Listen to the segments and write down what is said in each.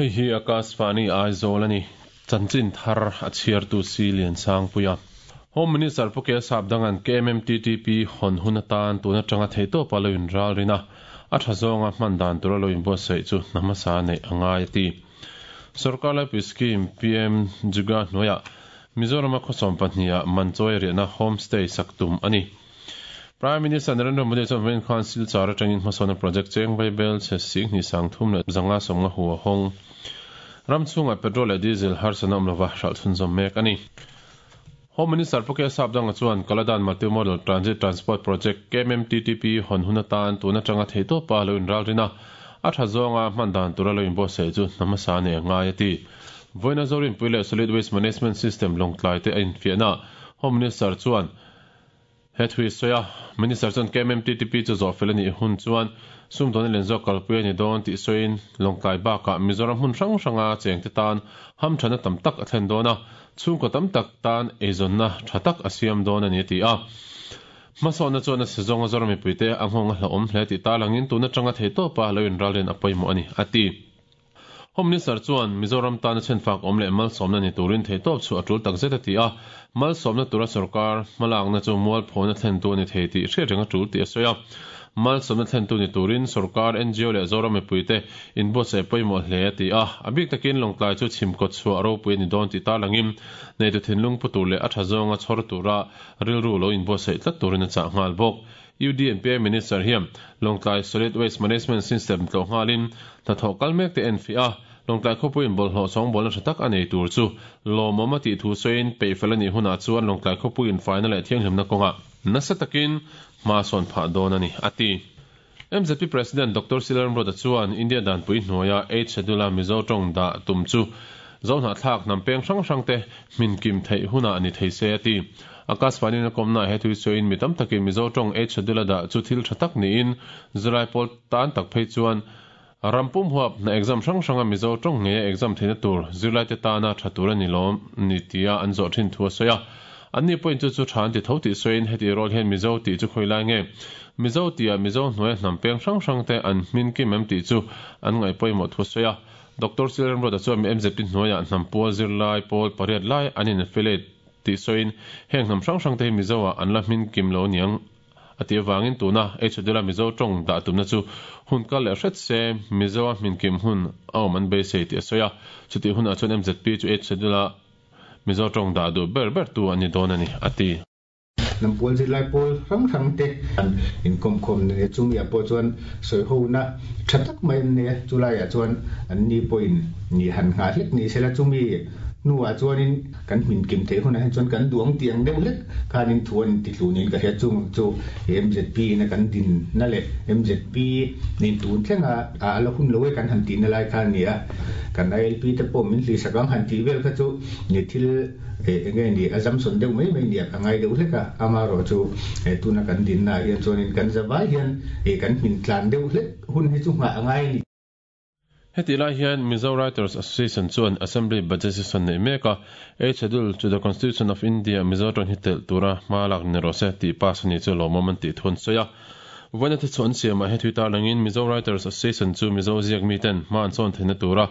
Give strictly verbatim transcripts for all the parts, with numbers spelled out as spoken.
Hei hi Akashvani Aizawl ani chanchin thar a chhiar tu si lian sang puia Home Minister Puke Sapdangan K M M T T P hon hunatan tuna tanga theito paloin ral rina a thazonga hmandan tur loin bo sei chu namasa nei angai ti Sarkar lai scheme P M Juga noya Mizoram khosom pahnia manchoi rena homestay saktum ani Prime Minister Narendra Modi chuan Main Council chara tangin hmasona project cheng Bible che sing ni sang thum le zanga somnga huwa hong ramchunga petrol le diesel har sanam lova hral thun zom mek ani Home Minister Puke Sapdanga chuan Kaladan Multimodal Transit Transport Project K M M T T P hon hunatan tuna tanga theito pa loin ral rina a thazonga hmandan tura loin bo sei chu namasa ne ngai ati Voina Zorin Puile Solid Waste Management System longtlai te in fiana Home Minister chuan hethui soya Minister chuan K M M T T P chu zo felani hun chuan sum don len zo kalpui ni don ti soin longtlai ba ka Mizoram hun rang ranga cheng te tan ham thana tam tak a thlen dona chung ko tam tak tan ezon na thatak asiam don ani ti a masona chuan a sezonga zorami puite anghong hla om hle ti talangin tuna tanga theito pa loin ralren apoimo ani ati Home Minister chuan Mizoram tan chen fak om le mal somna ni turin theitop chu atul tak zeta ti a mal somna tura sarkar malang na chu mual phona thlen tu ni theiti hre renga tul ti asoya mal somna thlen tu ni turin sarkar N G O le Zoram puite in bo se poimo hle ti a abik takin longtlai chu chimko chu aro pui ni don ti talangim nei tu thinlung putu le a thazonga chhor tura rilru lo in bo se tlat turin cha ngal bok U D N P A Minister hiam Longtlai Solid Waste Management System tlo ngalin ta thokal mek te N F A Longtlai khopuin bol ho song bol na tak anei tur chu lomoma ti thu soin pe felani huna chuan Longtlai khopuin final e thiang hlimna konga nasa takin ma son pha don ani ati M Z P President Doctor Silaram Roda chuan India dan pui hnuaia eight schedule Mizo tong da tum chu zona thlak nam peng hrang hrang te min kim thei huna ani thei se ati Akashvani na komna he thui soin mitam takin Mizo tong eight schedule da chu thil thatak ni in Zurai pol tan tak phei chuan rampum huap na exam hrang hranga Mizo tong nge exam theina tur Zulai te tana thatura ni lom ni tia an zo thin thua soya anni point chu chu than ti tho ti soin heti rol hen Mizo ti chu khoilai nge Mizo tia Mizo hnuai hnam peng hrang hrang te an hmin kim em ti chu an ngai poimo thu soya Doctor Silaram Roda chuan M Z P hnuaia hnam pual zirlai pawl pariat lai an in affiliate ti soin heng hnam hrang hrang te Mizo a an la hmin kim lo niang ati wangin tuna h dela Mizo tong da tumna chu hun kal le hret se Mizo a hmin kim hun awm an beisei ti soya chuti hun a chuan M Z P chu h dela Mizo tong da du ber ber tu ani don ani ati Nampol zilai pol rang rang te an in kom kom ne chumi a po chuan soi ho na thatak mai ne chulai a chuan an ni point ni han nga hlek ni sela chumi nuwa chuanin kan min kim the huna chuan kan duang tiang deuh hlek khanin thuan ti tlunin ka he chung chu M Z P na kan din na le M Z P nin tun thlenga a la hun lowe kan han tin na lai khan nia kan I L P te pawh min hli sakang han ti vel kha chu ni thil e enge ni azam son deuh mai mai nia ka ngai deuh hlek a ama ro chu e tuna kan din na hian chuanin kan zawai hian e kan min tlan deuh hlek hun hi chu nga angai ni Heti lai hian Mizo Writers Association chuan Assembly Budget Session nei meka eight schedule to the Constitution of India Mizo tong hitel tura malak ni rose ti pass ni chu lomoman ti thun soya Voina te chuan siama he thui tarlangin Mizo Writers Association chu Mizo ziak mi ten man chon theina tura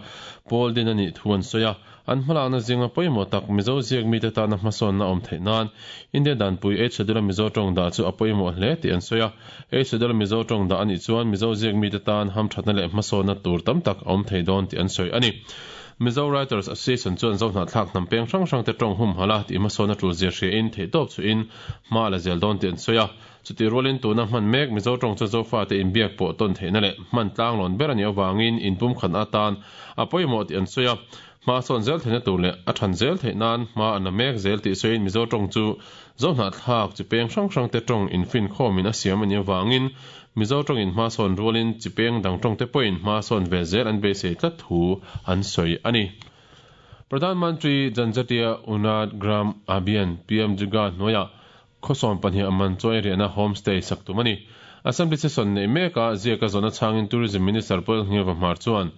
pawl din ani thuan soya an hmalakna zinga pawimawh tak Mizo ziak mi te tana hmasawn na awm theih nan India dan pui eight schedule Mizo tawng dah chu a pawimawh hle tih an sawi a eight schedule Mizo tawng dah anih chuan Mizo ziak mi te tan hamthatna leh hmasawnna tur tam tak a awm thei dawn tih an sawi ani Mizo Writers Association chuan zohna thlak hnam peng hrang hrang te tawng hum hala tih hmasawnna tul zir hria in theih tawp chu in hma la zel dawn tih an sawi a chuti rualin tuna hman mek Mizo tawng chu zofa te inbiak pawh tawn theihna leh hman tlang lawn ber ani awangin inpum khat atan a pawimawh tih an sawi a ma son zel theihna tur leh a than zel theih nan hma an la mek zel tih sawiin Mizo tawng chu zohna thlak chi peng hrang hrang te tawng infin khawmin a siam ani awangin Mizo tawng in hma sawn rualin chi peng dang tawng te pawhin hma sawn ve zel an beisei tlat thu an sawi ani Pradhan Mantri Janjatiya Unad Gram Abhiyan P M Juga hnuaia khosom pahnih aman choi riana homestay saktum ani Assembly session nei meka ziaka zona changin Tourism Minister Paul Ngiva Hmar chuan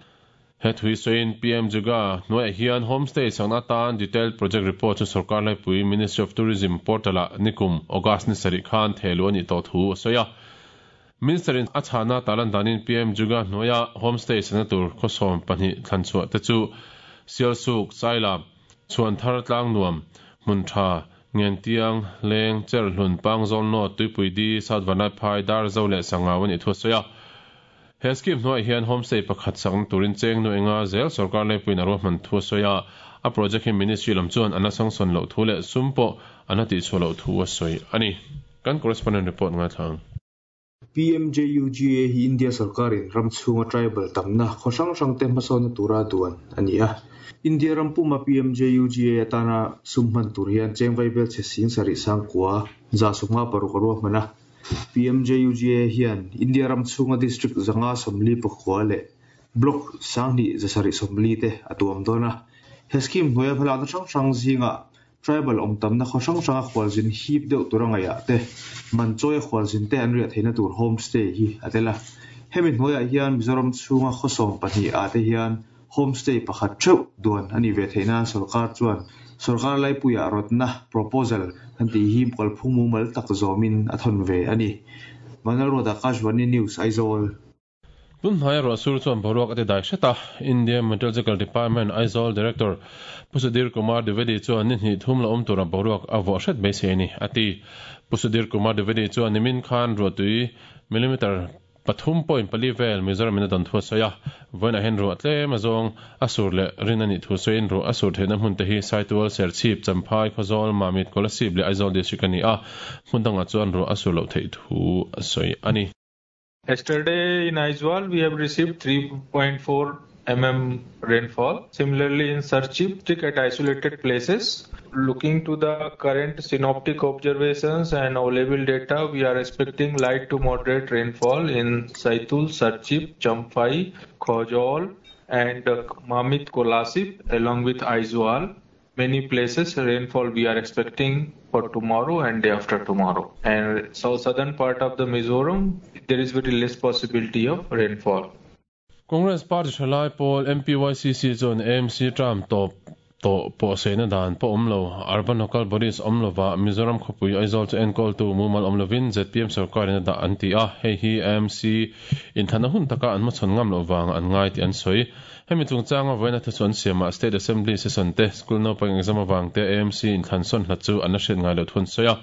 He thui soin P M Juga nuai hian homestay sangna tan detailed project report chu sarkar lai pui Ministry of Tourism portal a nikum August ni sari khan thelu ani to thu soya. Minister in achana talan danin P M Juga noya homestay sangna tur khosom pani thlanchua te chu Sialsuk Saila chuan thar tlang nuam muntha Ngentiang Leng Cherhlun Pangzol no Tuipui di South Vanai Phai Dar Zo le Sangawan i thu soya. He scheme noi hian homestay pakhat sang turin cheng nu enga zel sarkar le puin aro man thu soya. A project hi ministry lam chuan ana sang son lo thu le sumpo ana ti chu lo thu soi ani. Kan correspondent report nga thang. P M J U G A hi India sarkarin ramchhunga tribal tamna khosang sang te hmasawn tura duan ani a. India rampuma P M J U G A atana summan tur hian chengvai bel che sing sari sangkua za sumnga paruk arua hmana. P M J U G A hian India ramchhunga district zanga somli pakhua le block sangni zasari somli te atuam dona. He scheme hnuaia hmalakna hrang hrang zinga tribal awm tamna khaw hrang hranga khualzin hip deuh tur anga ya te manchawi khualzin te an riah theihna tur homestay hi a tel a. Hemi hnuaiah hian Mizoram chhunga khawsawm pahnih ah te hian homestay pakhat theuh duan ani ve theihna sarkar chuan sarkar laipuiah rawtna proposal an tih hi kalphung mumal tak zawmin a thawn ve ani. Manal Road Akashvani News Aizawl. Tun hnai ro sur chuan boruak ati dai hreta. India Meteorological Department Aizawl Director Pusudir Kumar Dwivedi chuan ni hnih thum la awm tura boruak a vawh hret mai se ni ati. Pusudir Kumar Dwivedi chuan nimin khan ruahtui millimeter pathum point pali vel Mizoram in a don thu soya. Voina hen ru atle mazong asur le rinani thu soin ru asur theina hmun te hi Saitual Serchhip Champhai Khawzawl Mamit Kolasib le Aizawl district ani a. Hmun danga chuan ru asur lo thei thu soi ani. Yesterday in Aizawl we have received three point four millimeters rainfall. Similarly in Serchhip, thick at isolated places. Looking to the current synoptic observations and available data, we are expecting light to moderate rainfall in Saitul, Serchhip, Champhai, Khawzawl and Mamit Kolasib along with Aizawl. Many places rainfall we are expecting for tomorrow and day after tomorrow. And south southern part of the Mizoram, there is very less possibility of rainfall. Congress Party Thalai Pawl M P Y C C chuan A M C tram top to po sena dan po omlo urban local bodies omlova Mizoram khawpui Aizawl chu enkawl tu mumal omlovin Z P M sarkar in da an ti a. Hei hi A M C in thana hun taka an machon ngam lo wang an ngai ti an soi. Hemi chungchanga voina thu chuan siama State Assembly session te school naupang exam awang te A M C in thlan sawn hlat chu an la hriat ngai lo thun sawi a.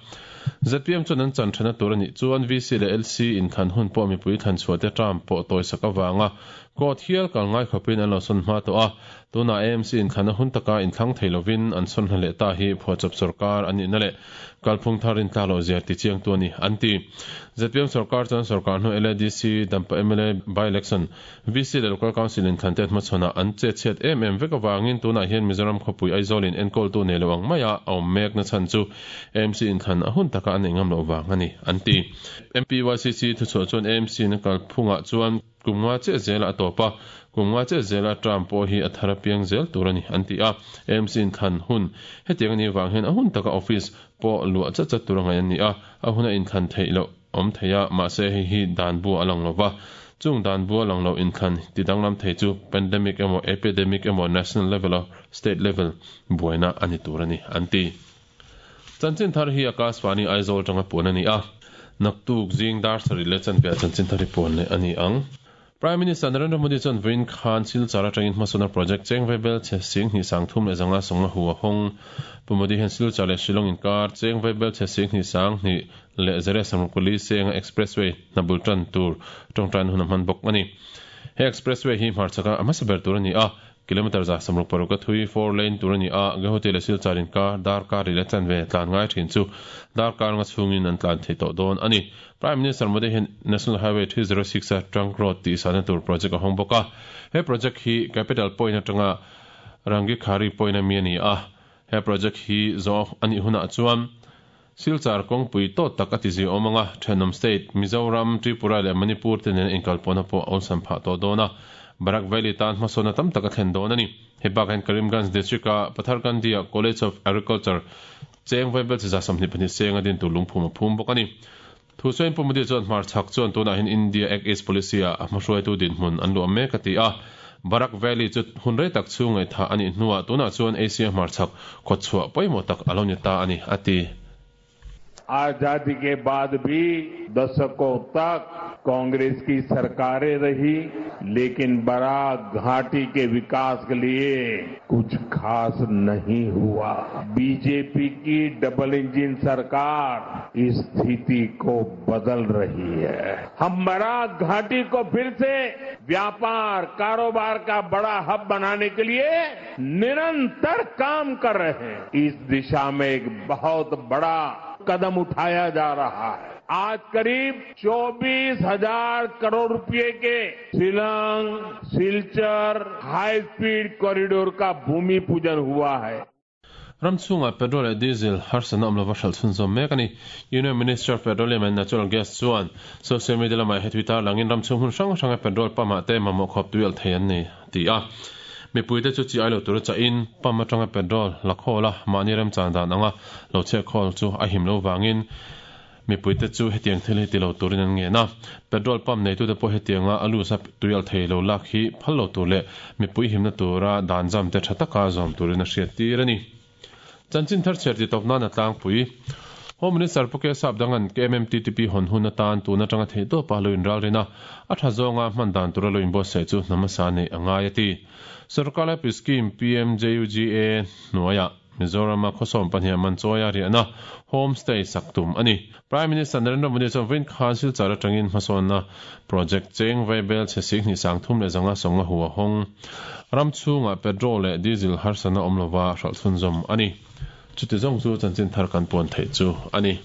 Z P M chuan an chan thana tur ani chuan V C le L C in thlan hun pawh mipui thlan chhuah te tram pawh tawi sak awanga court hial kal ngai khawpin an lo sawn hma tawh a. Tuna A M C in thlana hun taka in thlang thei lovin an sawn hla leh ta hi phuahchawp sarkar ani na le kalphung tharin tla lo zia ti chiang tu ani an ti. Z P M sarkar chuan sarkar hnu L A D C Dampa M L A by election V C le local council in thlan te hmachhawna an che chhiat em em vek awangin tunah hian Mizoram khawpui Aizawl in enkawl tu nei lo ang maia a awm mek na chhan chu A M C in thlan a hun taka an nei ngam lo wang ani an ti. M P Y C C thuchhuah chuan A M C na kalphungah chuan kumnga che zela a tawpa kumnga che zela tram pawh hi a thara piang zel tur ani an ti a. A M C in thlan hun hetiang ani wang hian a hun taka office pawh luah chat chat tur angai an ni a. A huna in thlan theih loh awm theia mahse hei hi dan bu a lang lova chung dan bu a lang lo in thlan ti danglam thei chu pandemic emaw epidemic emaw national level or state level buaina ani tur ani an ti. Chanchin thar hi Akashvani Aizawl tanga puan ani a. Naktuk zing dar sari le chan pia chanchin thar hi puan le ani ang. Prime Minister Narendra Modi chuan Vin Khan Silchar atangin hmasawna project chengvai bel che sing hnih sang thum le zanga sawmnga hu a hawng. Pu Modi hian Silchar le Shillong inkar chengvai bel che sing hnih sang hnih le zere samruk senga expressway hnabul tan tur tawngtan hun a hman bawk ani. He expressway hi hmarchaka a hmasa ber tur ani a. Kilometer za samruk paruk a thui four lane tur ani a. Guwahati le Silchar inkar darkar ri le chanve tlan ngai thin chu darkar nga chhungin an tlan thei tawh dawn ani. Prime Minister Modi hian National Highway three zero six a Trunk Road ti sana tur project a hawng bawk a. He project hi Capital Point atanga Rangikhari Point a mi ani a. He project hi zo ani hunah chuan Silchar kawngpui tawt tak a ti zi awm anga Thenawm State Mizoram Tripura leh Manipur te nen inkalpawna pawh awlsam phah tawh dawn a. Barak Valley tan hmasawna tam tak a thlen dawn ani. He bak hian Karimganj district a Patharkandia College of Agriculture chengvai bel chi za sawmhnih pahnih senga din tur lungphum a phum bawk ani. Thu sawiin Pu Modi chuan hmarchhak chuan tunah hian India Act East Policy a hmahruaitu dinhmun an luah mek a ti a. Barak Valley chu hunrei tak chu ngai tha ani hnuwa tuna chuan Asia hmarchhak khawchhuah pawimawh tak alo ni ta ani ati. आजादी के बाद भी दशकों तक कांग्रेस की सरकारें रही, लेकिन बराक घाटी के विकास के लिए कुछ खास नहीं हुआ। बीजेपी की डबल इंजन सरकार इस स्थिति को बदल रही है। हम बराक घाटी को फिर से व्यापार कारोबार का बड़ा हब बनाने के लिए निरंतर काम कर रहे हैं। इस दिशा में एक बहुत बड़ा कदम उठाया जा रहा है। आज करीब चौबीस हजार करोड़ रुपए के शिलांग सिलचर high speed corridor का भूमि पूजन हुआ है। Ramchunga petrol leh diesel harsana awm lova hral chhunzawm mek ani. Union Minister of Petroleum and Natural Gas chuan social media lamah he Twitter langin ramchung hun hrang hranga petrol pump ah te mamawh khawp tuial thei an ni ti a. Mipuite chu chi ai lo tur cha in pump atanga petrol la khawla mahni remchan dan anga lo chhe khawl chu a him lo wangin mipuite chu hetiang thil hi ti lo turin an nge na. Petrol pump nei tu te pawh hetianga alu sa tuial thei lo lak hi phal lo tur leh mipui himna tura dan jam te tha taka zawm turin a hriat tir ani. Chanchin thar cher ti tawp nan a tlangpui. Home Minister Pu K Sap dangan K M M T T P hon hun atan tuna tanga thei to pa lo in ral rina a tha zawnga hman dan tura lo in bo se chu namasa nei angai ati. Sarkar lai scheme P M J U G A hnuaia Mizoram a khawsawm pahnih man chawia riahna homestay saktum ani. Prime Minister Narendra Modi chuan vawiin khan Silchar atangin hmasawnna project cheng vaibel chhe sik hnih sang thum leh zanga sawnga hua hawng ramchhungah petrol leh diesel harsana awm lova hral chhunzawm ani. Chuti zawng chu chanchin thar kan puan theih chu ani.